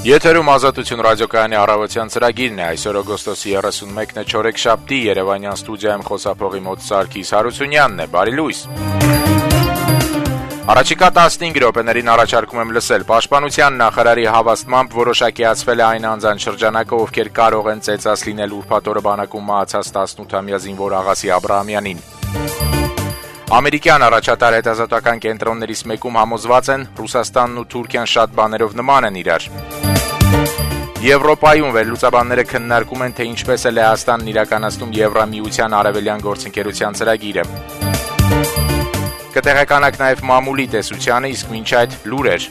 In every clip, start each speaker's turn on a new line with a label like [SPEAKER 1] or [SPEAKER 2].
[SPEAKER 1] Եթերում Ազատություն ռադիոկայանի առավոտյան ծրագիրն է, այսօր օգոստոսի 31-ն է, չորեքշաբթի, Երևանյան ստուդիայում խոսափողի մոտ Սարգիս Հարությունյանն է, բարի լույս։ Առաջիկա 15 րոպեներին առաջարկում եմ լսել Պաշտպանության նախարարի հավաստմամբ որոշակիացվել է այն անձանց շրջանակը, ովքեր կարող են ծեծած լինել ուրբաթ օրը բանակում մահացած 18-ամյա զինվոր Աղասի Աբրահամյանին։ Ամերիկյան առաջատար հետազոտական կենտրոններից մեկում համոզված են, Ռուսաստանն ու Թուրքիան շատ բաներով նման են իրար։ Եվրոպայում վերլուծաբանները քննարկում են, թե ինչպես է Լեհաստանն իրականացնում Եվրամիության արևելյան գործընկերության ծրագիրը։ Կտեղեկանաք նաև մամուլի տեսությանը, իսկ մինչ այդ լուրեր։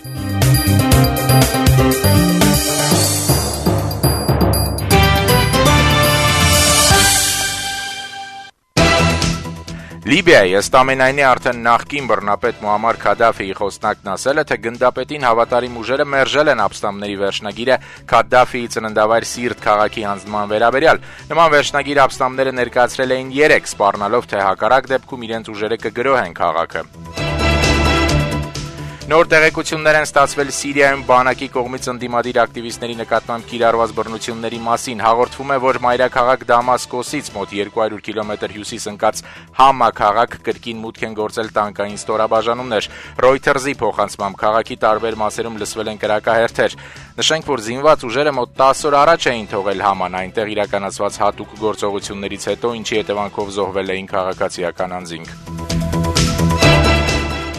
[SPEAKER 1] Լիբիայի ըստ ամենայնի արդեն նախկին բռնապետ Մուամմար Քադաֆիի խոսնակն ասել է, թե գնդապետին հավատարիմ ուժերը մերժել են ապստամբների վերջնագիրը Քադաֆիի ծննդավայր Սիրտ քաղաքի հանձնման վերաբերյալ։ Նման վերջնագիր ապստամբները ներկայացրել էին 3, սպառնալով, թե հակառակ դեպքում իրենց ուժերը կգրոհեն քաղաքը։ Նոր տեղեկություններ են ստացվել Սիրիայում բանակի կողմից ընդդիմադիր ակտիվիստների նկատմամբ կիրառված բռնությունների մասին։ Հաղորդվում է, որ մայրաքաղաք Դամասկոսից մոտ 200 կիլոմետր հյուսիս ընկած Համա քաղաք կրկին մուտք են գործել տանկային ստորաբաժանումներ։ Reuters-ի փոխանցմամբ քաղաքի տարբեր մասերում լսվել են կրակահերթեր։ Նշենք, որ զինված ուժերը մոտ 10 օր առաջ էին թողել Haman, այնտեղ իրականացված հատուկ գործողություններից հետո, ինչի հետևանքով զոհվել էին քաղաքացիական անձինք։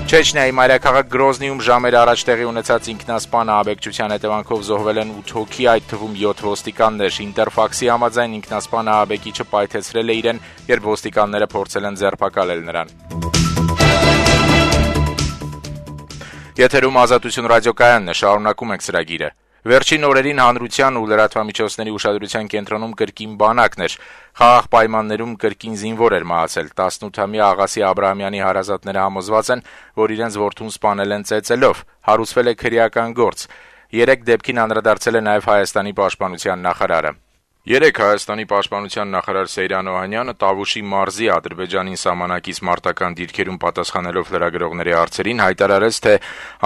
[SPEAKER 1] Չեչնիայի մայրաքաղաք Գրոզնիում ժամեր առաջ տեղի ունեցած ինքնասպան ահաբեկչության հետևանքով զոհվել են 8 հոգի, այդ թվում 7 ոստիկաններ։ Ինտերֆաքսի համաձայն ինքնասպան ահաբեկիչը պայթեցրել է իրեն, երբ ոստիկանները փորձել են ձերբակալել նրան։ Եթերում Ազատություն ռադիոկայանն է, շարունակում ենք ծրագիրը։ Վերջին օրերին հանրության ու լրատվամիջոցների ուշադրության կենտրոնում կրկին բանակն էր։ Խաղաղ պայմաններում կրկին զինվոր էր մահացել։ 18-ամյա Աղասի Աբրահամյանի հարազատները համոզված են, որ իրենց որդուն սպանել են ծեծելով։ Հարուցվել է քրեական գործ։ 3 դեպքին անդրադարձել է նաև Հայաստանի պաշտպանության նախարարը։ Երեկ Հայաստանի պաշտպանության նախարար Սեյրան Օհանյանը Տավուշի մարզի Ադրբեջանին սահմանակից մարտական դիրքերում պատասխանելով լրագրողների հարցերին հայտարարեց, թե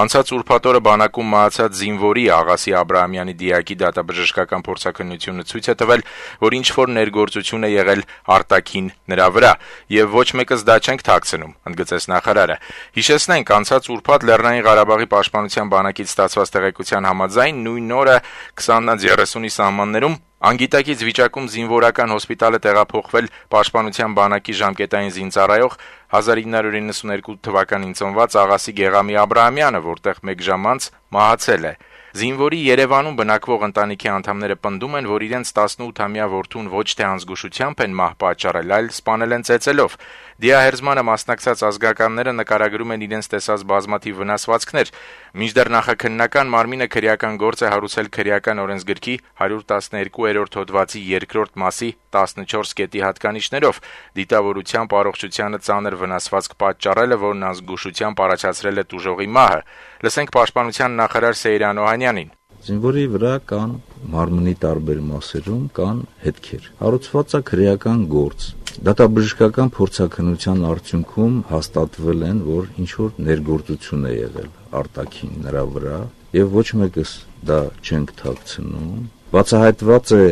[SPEAKER 1] անցած ուրբաթ օրը բանակում մահացած զինվորի Աղասի Աբրահամյանի դիակի դատաբժշկական փորձաքննությունը ցույց է տվել, որ ինչ-որ ներգործություն է եղել արտաքին նրա վրա, եւ ոչ մեկս դա չենք թաքցնում, ընդգծեց նախարարը։ Հիշեցնենք, անցած ուրբաթ Լեռնային Ղարաբաղի պաշտպանության բանակից ստացված տեղեկության համաձայն նույն օրը 20-30-ի սահմաններում անգիտակից վիճակում զինվորական հոսպիտալը տեղափոխվել պաշտպանության բանակի ժամկետային զինծառայող 1992 թվականին ծնված Աղասի Գեղամի Աբրահամյանը, որտեղ 1 ժամ անց մահացել է։ Զինվորի Երևանում բնակվող ընտանիքի անդամները պնդում են, որ իրենց 18-ամյա որդուն ոչ թե անզգուշությամբ են մահ պատճառել, այլ սպանել են ծեծելով։ Դիահերձմանը մասնակցած ազգականները նկարագրում են իրենց տեսած բազմաթիվ վնասվածքներ։ Մինչդեռ նախաքննական մարմինը քրեական գործ է հարուցել քրեական օրենսգրքի 112-րդ հոդվածի 2-րդ մասի 14 կետի հատկանիշներով, դիտավորությամբ առողջությանը ծանր վնասվածք պատճառելը, որն անզգուշությամբ առաջացրել է տուժողի մահը։ Լսենք պաշտպանության նախարար Սեյրան Օհանյանին։
[SPEAKER 2] Զինվորի վրա կան մարմնի տարբեր մասերում կան հետքեր։ Հարուցված է քրեական գործ։ Դատաբժշկական փորձաքննության արդյունքում հաստատվել են, որ ինչ-որ ներգործություն է եղել արտաքին նրա վրա, եւ ոչ մեկս դա չենք թաքցնում։ Բացահայտված է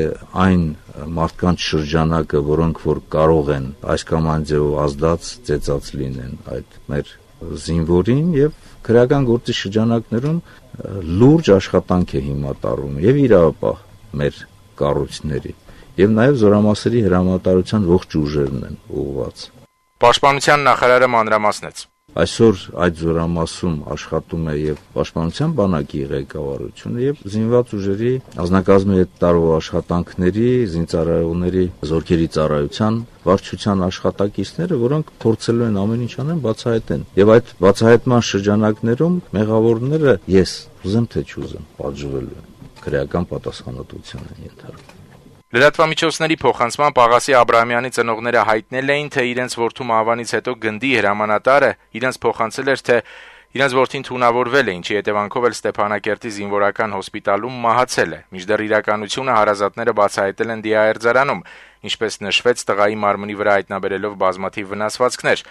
[SPEAKER 2] այն մարդկանց շրջանակը, որոնք որ կարող են այս կամ այն ձևով ազդած, ծեծած լինեն այդ մեր զինվորին, եւ քրեական գործի շրջանակներում լուրջ աշխատանք է հիմա տարվում եւ իրավապահ մեր կառույցների եւ նաեւ զորամասերի հրամանատարության ողջ ուժերն են ուղղված։
[SPEAKER 1] Պաշտպանության նախարարը մանրամասնեց.
[SPEAKER 2] Այսօր այդ զորամասում աշխատում է եւ պաշտպանության բանակի ղեկավարությունը եւ զինված ուժերի ազնագազմի հետ տարվող աշխատանքների, զինծառայողների զորքերի ծառայության վարչության աշխատակիցները, որոնք փորձելու են ամեն ինչ անեն բացահայտեն։ Եվ այդ բացահայտման շրջանակներում մեղավորները ես ուզեմ թե չուզեմ պատժվելու են, քրեական պատասխանատվության են ենթարկվում։
[SPEAKER 1] Լրատվամիջոցների փոխանցմամբ Աղասի Աբրահամյանի ծնողները հայտնել էին, թե իրենց որդու մահվանից հետո գնդի հրամանատարը իրենց փոխանցել էր, թե իրենց որդին թունավորվել է, ինչի հետևանքով էլ Ստեփանակերտի զինվորական հոսպիտալում մահացել է։ Մինչդեռ իրականությունը հարազատները բացահայտել են դիահերձարանում, ինչպես նշվեց տղայի մարմնի վրա հայտնաբերելով բազմաթիվ վնասվածքներ։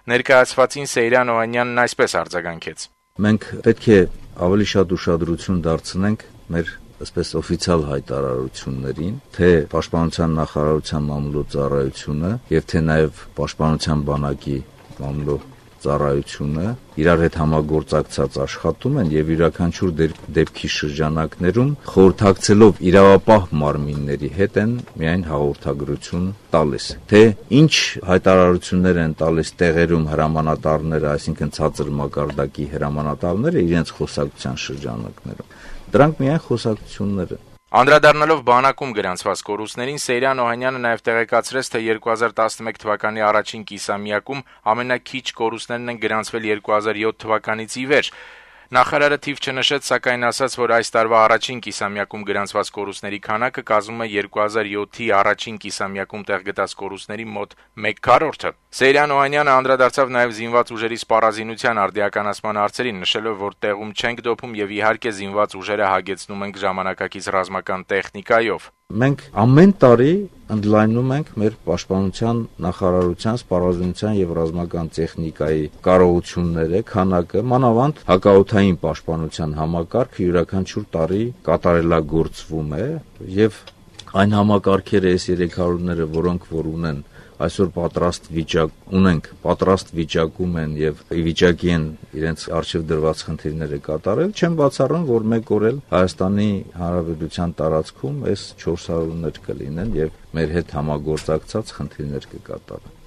[SPEAKER 1] Ներկայացվածին Սեյրան Օհանյանն այսպես արձագանքեց.
[SPEAKER 2] Մենք պետք է ավելի շատ ուշադրություն դարձնենք մեր այսպես օֆիցիալ հայտարարություններին, թե Պաշտպանության նախարարության մամուլոծառայությունը եւ թե նաեւ Պաշտպանության բանակի մամուլոծառայությունը իրար հետ համագործակցած աշխատում են եւ յուրաքանչյուր դեպքի շրջանակներում խորհրդակցելով իրավապահ մարմինների հետ են միայն հաղորդագրություն տալիս, թե ինչ հայտարարություններ են տալիս տեղերում հրամանատարները, այսինքն ցածր մակարդակի հրամանատարները իրենց խոսակցության շրջանակներում, դրանք միայն խոսակցություններ են։
[SPEAKER 1] Անդրադառնալով բանակում գրանցված կորուստներին, Սեյրան Օհանյանը նաև տեղեկացրեց, թե 2011 թվականի առաջին կիսամյակում ամենաքիչ կորուստներն են գրանցվել 2007 թվականից ի վեր։ Նախարարը թիվ չնշեց, սակայն ասաց, որ այս տարվա առաջին կիսամյակում գրանցված կորուստների քանակը կազմում է 2007-ի առաջին կիսամյակում տեղգտած կորուստների մոտ 1/4-ը։ Սեյրան Օհանյանը անդրադարձավ նաև զինված ուժերի սպառազինության արդիականացման հարցերին, նշելով, որ տեղում չենք դոփում եւ իհարկե զինված ուժերը հագեցնում ենք ժամանակակից ռազմական տեխնիկայով։
[SPEAKER 2] Մենք ամեն տարի ընդլայնում ենք մեր պաշտպանության նախարարության սպառազինության եւ ռազմական տեխնիկայի կարողությունները, քանակը, մանավանդ հակաօդային պաշտպանության համակարգը յուրաքանչյուր տարի կատարելագործվում է եւ այն համակարգերը, այս 300-ները, որոնք որ ունեն այսօր պատրաստ վիճակում են եւ ի վիճակի են իրենց արժեվ դրված խնդիրները կատարել, չեմ բացառում, որ մեկ օր էլ Հայաստանի Հանրապետության տարածքում այս 400-ներ կլինեն եւ մեր հետ համագործակցած խնդիրներ կկատարեն։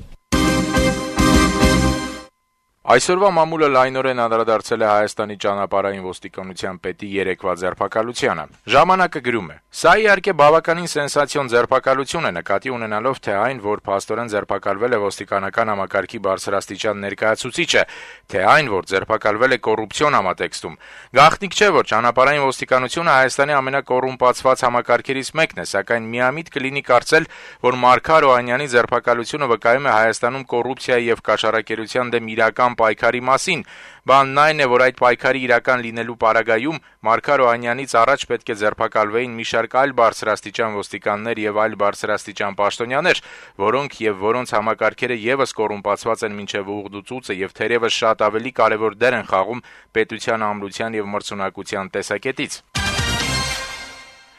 [SPEAKER 1] Այսօրվա մամուլը լայնորեն անդրադարձել է Հայաստանի ճանապարհային ոստիկանության պետի երեկվա ձերբակալությանը։ Ժամանակը գրում է. «Սա իհարկե բավականին սենսացիոն ձերբակալություն է, նկատի ունենալով թե այն, որ փաստորեն ձերբակալվել է ոստիկանական համակարգի բարձրաստիճան ներկայացուցիչը, թե այն, որ ձերբակալվել է կոռուպցիոն համատեքստում։ Գաղտնիք չէ, որ ճանապարհային ոստիկանությունը Հայաստանի ամենակոռումպացված համակարգերից մեկն է, սակայն միամիտ կլինի կարծել, որ Մարգար Օհանյանի ձերբակալությունը վկայում է Հայաստանում կոռուպցիայի եւ կաշառակերության դեմ իրական պայքարի մասին։ Բանն այն է, որ այդ պայքարի իրական լինելու պարագայում Մարգար Օհանյանից առաջ պետք է ձերբակալվեին մի շարք այլ բարձրաստիճան ոստիկաններ եւ այլ բարձրաստիճան պաշտոնյաներ, որոնք եւ որոնց համակարգերը եւս կոռումպացված են մինչեւ ուղղդուծուցը եւ թերեւս շատ ավելի կարեւոր դեր են խաղում պետության ամրության եւ մրցունակության տեսակետից»։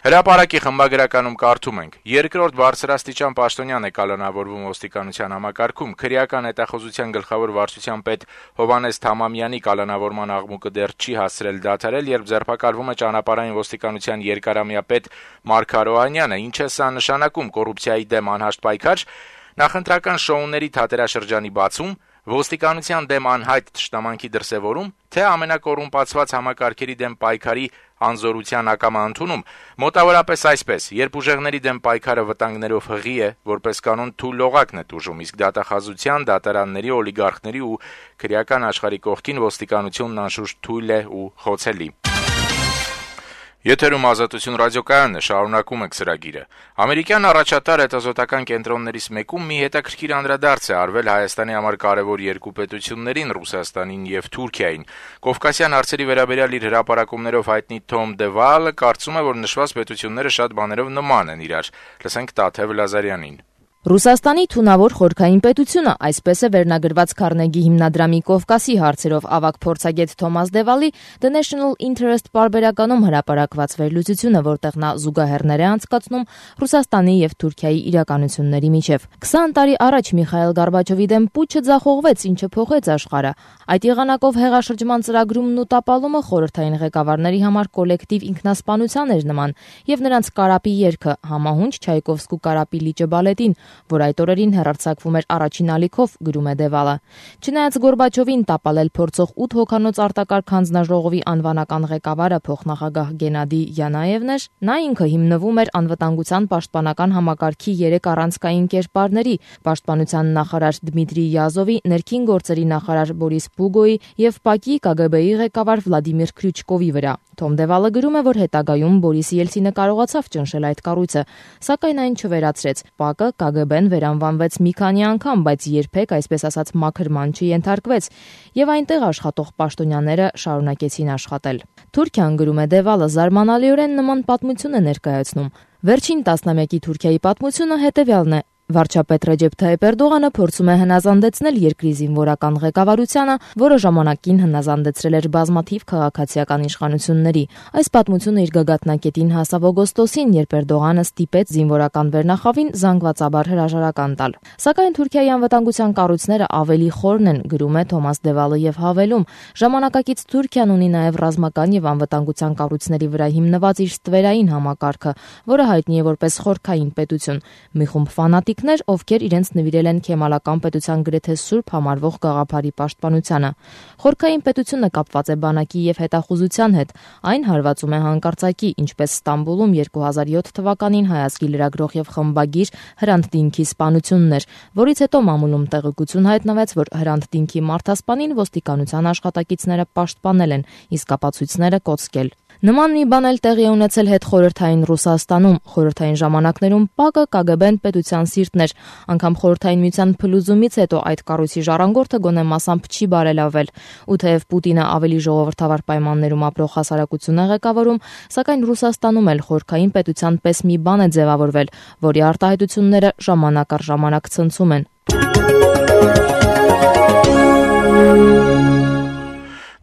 [SPEAKER 1] Հրապարակի խմբագրականում կարդում ենք. «Երկրորդ բարձրաստիճան պաշտոնյան է կալանավորվում ոստիկանության համակարգում, քրեական հետախուզության գլխավոր վարչության պետ Հովհաննես Թամամյանի կալանավորման աղմուկը դեռ չի հասցրել դադարել, երբ ձերբակալվում է ճանապարհային ոստիկանության երկարամյա պետ Մարգար Օհանյանը, ինչ է սա նշանակում կոռուպցիայի դեմ անհաշտ պայքար, նախընտրական շոուների թատերաշրջանի բացում, ոստիկանության դեմ անհայտ թշնամանքի դրսևորում, թե ամենակոռումպացված համակարգերի դեմ պայքարի անզորության ակամա ընդունում, մոտավորապես այսպես, երբ ուժեղների դեմ պայքարը վտանգներով հղի է, որպես կանոն թույլ լողակն է տուժում, իսկ դատախազության, դատարանների, օլիգարխների ու քրեական աշխարհի կողքին ոստիկանությունն անշուշտ թույլ է ու խոցելի»։ Եթերում Ազատություն ռադիոկայանն է, շարունակում ենք ծրագիրը։ Ամերիկյան առաջատար հետազոտական կենտրոններից մեկում մի հետաքրքիր անդրադարձ է արվել Հայաստանի համար կարևոր երկու պետություններին՝ Ռուսաստանին եւ Թուրքիային։ Կովկասյան հարցերի վերաբերյալ իր հրապարակումներով հայտնի Թոմ Դևալը կարծում է, որ նշված պետությունները շատ բաներով նման են իրար։ Լսենք Տաթև Լազարյանին։
[SPEAKER 3] Ռուսաստանի թունավոր խորքային պետությունը, այսպես է վերնագրված Քարնեգի հիմնադրամի Կովկասի հարցերով ավագ փորձագետ Թոմաս Դևալի The National Interest պարբերականում հրապարակված վերլուծությունը, որտեղ նա զուգահեռներ է անցկացնում Ռուսաստանի եւ Թուրքիայի իրականությունների միջև։ 20 տարի առաջ Միխայել Գորբաչովի դեմ պուչը ձախողվեց, ինչը փոխեց աշխարհը։ Այդ եղանակով հեղաշրջման ծրագրումն ու տապալումը խորհրդային ղեկավարների համար կոլեկտիվ ինքնասպանության էր նման, եւ նրանց կարապի երգը համահունչ Չայկովսկու կարապի լիճը բալետին, որ այդ օրերին հեռարձակվում էր առաջին ալիքով, գրում է Դևալը։ Չնայած Գորբաչովին տապալել փորձող 8 հոգանոց արտակարգ հանձնաժողովի անվանական ղեկավարը փոխնախագահ Գենադի Յանաևն էր, նա ինքը հիմնվում էր անվտանգության պաշտպանական համակարգի 3 առանցքային կերպարների՝ պաշտպանության նախարար Դմիտրի Յազովի, ներքին գործերի նախարար Բորիս Պուգոյի եւ ՊԱԿ-ի ԿԳԲ-ի ղեկավար Վլադիմիր Քրյուչկովի վրա։ Թոմ Դևալը գրում է, որ հետագայում Բորիս Ելցինը կարողացավ ճնշել այդ կառույցը, սակայն այն չվերացրեց։ ՊԱԿ-ը ԿԳԲ-ն վերանվանվեց մի քանի անգամ, բայց երբեք, այսպես ասած, մաքրման չենթարկվեց, եւ այնտեղ աշխատող պաշտոնյաները շարունակեցին աշխատել։ Թուրքիան, գրում է Դևալը, զարմանալիորեն նման պատմություն է ներկայացնում։ Վերջին տասնամյակի Թուրքիայի պատմությունը հետևյալն է. Վարչապետ Ռեջեփ Թայիփ Էրդողանը փորձում է հնազանդեցնել երկրի զինվորական ղեկավարությանը, որը ժամանակին հնազանդեցրել էր բազմաթիվ քաղաքացիական իշխանությունների։ Այս պատմությունը իր գագաթնակետին հասավ օգոստոսին, երբ Էրդողանը ստիպեց զինվորական վերնախավին զանգվածաբար հրաժարական տալ։ Սակայն Թուրքիայի անվտանգության կառույցները ավելի խորն են, գրում է Թոմաս Դևալը եւ հավելում. ժամանակակից Թուրքիան ունի նաեւ ռազմական եւ անվտանգության կառույցների վրա հիմնված իր ստվերային համակարգը, որը հայտնի է որպես խորքային պետություն։ Մի խումբ ֆանատիկներ, ովքեր իրենց նվիրել են քեմալական պետության գրեթե սուրբ համարվող գաղափարի պաշտպանությանը։ Խորքային պետությունը կապված է բանակի եւ հետախուզության հետ։ Այն հարվածում է հանկարծակի, ինչպես Ստամբուլում 2007 թվականին հայացքի լրագրող եւ խմբագիր Հրանտ Դինքի սպանությունն էր, որից հետո մամուլում տեղեկություն հայտնվեց, որ Հրանտ Դինքի մարդասպանին ոստիկանության աշխատակիցները պաշտպանել են, իսկ ապացույցները կոծկել։ Նման մի բան էլ տեղի ունեցել հետխորհրդային Ռուսաստանում։ Խորհրդային ժամանակներում ՊԱԿ-ը ԿԳԲ-ն պետության սիրտն էր։ Անգամ Խորհրդային միության փլուզումից հետո այդ կառույցի ժառանգորդը գոնե մասամբ չի բարելավել։ Ու թեև Պուտինը ավելի ժողովրդավար պայմաններում ապրող հասարակություն է ղեկավարում, սակայն Ռուսաստանում էլ խորհրդային պետության պես մի բան է ձևավորվել, որի արտահայտությունները ժամանակ առ ժամանակ ցնցում են։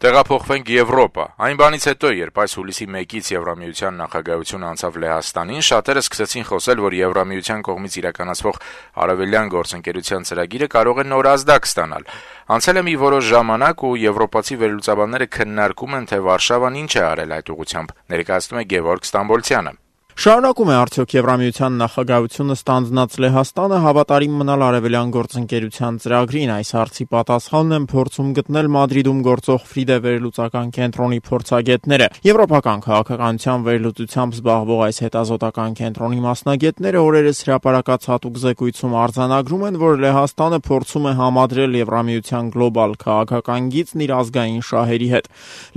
[SPEAKER 1] Տեղափոխվենք Եվրոպա։ Այն բանից հետո, երբ այս հուլիսի 1-ից Եվրամիության նախագահությունը անցավ Լեհաստանին, շատերը սկսեցին խոսել, որ Եվրամիության կողմից իրականացվող արևելյան գործընկերության ծրագիրը կարող է նոր ազդակ ստանալ։ Անցել է մի որոշ ժամանակ ու եվրոպացի վերլուծաբանները քննարկում են, թե Վարշավան ինչ է արել այդ ուղղությամբ, ներկայացնում է Գևորգ Ստամբոլցյանը։
[SPEAKER 4] Շարունակում է արդյոք Եվրամիության նախագահությունը ստանձնած Լեհաստանը հավատարիմ մնալ արևելյան գործընկերության ծրագրին։ Այս հարցի պատասխանն են փորձում գտնել Մադրիդում գործող Ֆրիդե վերլուծական կենտրոնի փորձագետները։ Եվրոպական քաղաքականության վերլուծությամբ զբաղվող այս հետազոտական կենտրոնի մասնագետները օրերս հրապարակած հատուկ զեկույցում արձանագրում են, որ Լեհաստանը փորձում է համադրել Եվրամիության գլոբալ քաղաքական գիծն իր ազգային շահերի հետ։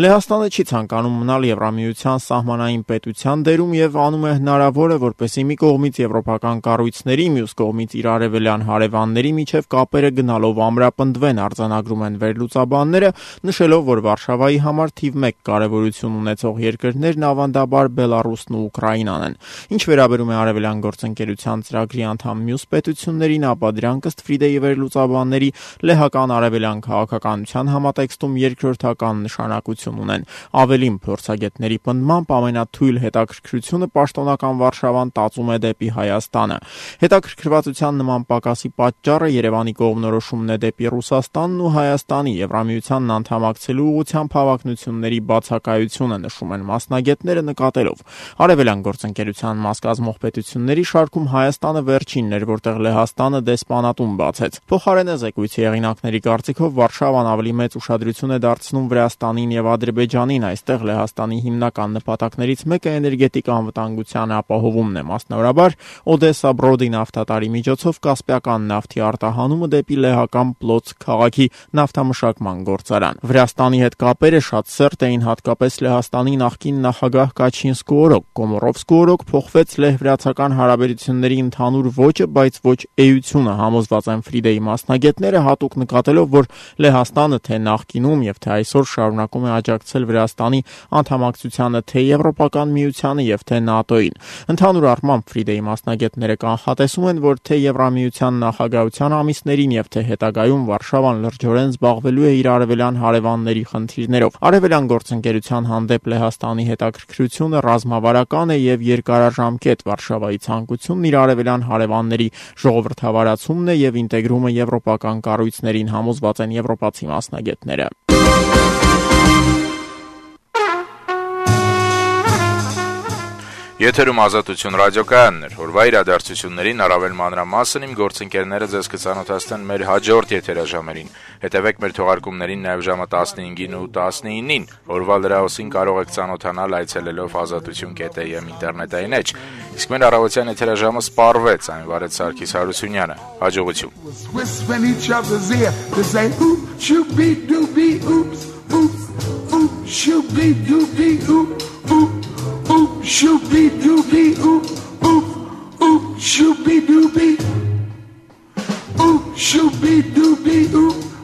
[SPEAKER 4] Լեհաստանը չի ցանկանում մնալ Եվրամիության սահմանային պետության դերում եւ անում է հնարավոր է, որպեսզի մի կողմից եվրոպական կառույցների, մյուս կողմից իր արևելյան հարևանների միջև կապերը գնալով ամրապնդվեն, արձանագրում են վերլուծաբանները, նշելով, որ Վարշավայի համար թիվ 1 կարևորություն ունեցող երկրներն ավանդաբար Բելարուսն ու Ուկրաինան են։ Ինչ վերաբերում է արևելյան գործընկերության ծրագրի անդամ մյուս պետություններին, ապա դրանք ըստ Ֆրիդեի վերլուծաբանների լեհական արևելյան քաղաքականության համատեքստում երկրորդական նշանակություն ունեն։ Ավելին, փորձագետների պնդմամբ ամենաթույլ հետաքրքրությունը պաշտոնական Վարշավան տածում է դեպի Հայաստանը։ Հետաքրքրվածության նման պակասի պատճառը Երևանի կողմնորոշումն է դեպի Ռուսաստանն ու Հայաստանի Եվրամիությանն անդամակցելու ուղղությամբ հավակնությունների բացակայությունը, նշում են մասնագետները, նկատելով արևելյան գործընկերության մաս կազմող պետությունների շարքում Հայաստանը վերջինն էր, որտեղ Լեհաստանը դեսպանատուն բացեց։ Փոխարենը զեկույցի հեղինակների կարծիքով Վարշավան ավելի մեծ ուշադրություն է դարձնում Վրաստանին եւ Ադրբեջանին։ Այստեղ Լեհաստանի հիմնական նպատակներից մեկը էներգետիկ անվտանգության ապահովումն է, մասնավորաբար Օդեսա Բրոդի նավթատարի միջոցով կասպիական նավթի արտահանումը դեպի լեհական Պլոցկ քաղաքի նավթամշակման գործարան։ Վրաստանի հետ կապերը շատ սերտ էին հատկապես Լեհաստանի նախկին նախագահ Կաչինսկու օրոք։ Կոմորովսկու օրոք փոխվեց լեհ-վրացական հարաբերությունների ընդհանուր ոճը, բայց ոչ էությունը, համոզված են Ֆրիդեի մասնագետները, հատուկ նկատելով, որ Լեհաստանը թե նախկինում եւ թե այսօր շարունակում է աջակցել Վրաստանի անդամակցությանը թե Եվրոպական միությանը եւ թե ՆԱՏՕ-ին։ Ընդհանուր առմամբ Ֆրիդեի մասնագետները կանխատեսում են, որ թե Եվրամիության նախագահության ամիսներին եւ թե հետագայում Վարշավան լրջորեն զբաղվելու է իր արևելյան հարևանների խնդիրներով։ Արևելյան գործընկերության հանդեպ Լեհաստանի հետաքրքրությունը ռազմավարական է եւ երկարաժամկետ։ Վարշավայի ցանկությունն իր արևելյան հարևանների ժողովրդավարացումն է եւ ինտեգրումը եվրոպական կառույցներին, համոզված են եվրոպացի մասնագետները։
[SPEAKER 1] Եթերում Ազատություն ռադիոկայանն էր։ Օրվա իրադարձություններին առավել մանրամասն իմ գործընկերները ձեզ կծանոթացնեն մեր հաջորդ եթերաժամերին։ Հետևեք մեր թողարկումներին նաև ժամը 15-ին ու 19-ին։ Օրվա լրահոսին կարող եք ծանոթանալ այցելելով azatutun.am ինտերնետային էջ։ Իսկ մեր առավոտյան եթերաժամը սպառվեց, այն վարեց Սարգիս Հարությունյանը։ Hաջողություն։
[SPEAKER 5] Shoop-be-doobie-oop, oop, oop, shoop-be-doobie, oop, shoop-be-doobie-oop.